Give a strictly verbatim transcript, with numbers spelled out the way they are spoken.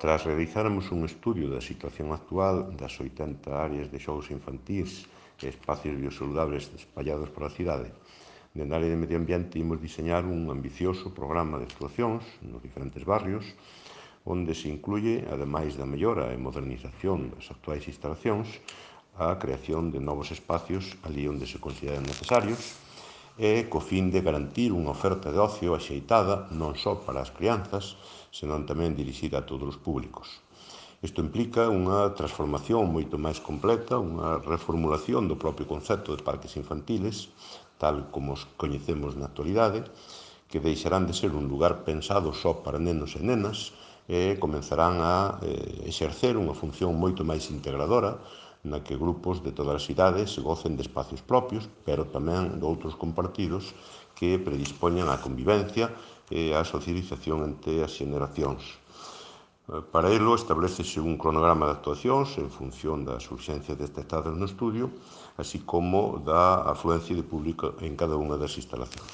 Tras realizarmos un estudio da situación actual das oitenta áreas de xogos infantís e espacios biosaludables espallados pola cidade, dende a área de medio ambiente imos diseñar un ambicioso programa de actuacións nos diferentes barrios onde se incluye, ademais da mellora e modernización das actuais instalacións, a creación de novos espacios ali onde se consideran necesarios e co fin de garantir unha oferta de ocio axeitada non só para as crianzas, senón tamén dirixida a todos os públicos. Isto implica unha transformación moito máis completa, unha reformulación do propio concepto de parques infantiles, tal como os coñecemos na actualidade, que deixarán de ser un lugar pensado só para nenos e nenas e comenzarán a eh, exercer unha función moito máis integradora na que grupos de todas as idades gocen de espacios propios, pero tamén de outros compartidos que predispoñan á convivencia e á socialización entre as xeneracións. Para elo, establecese un cronograma de actuacións en función das urxencias detectadas no estudio, así como da afluencia de público en cada unha das instalacións.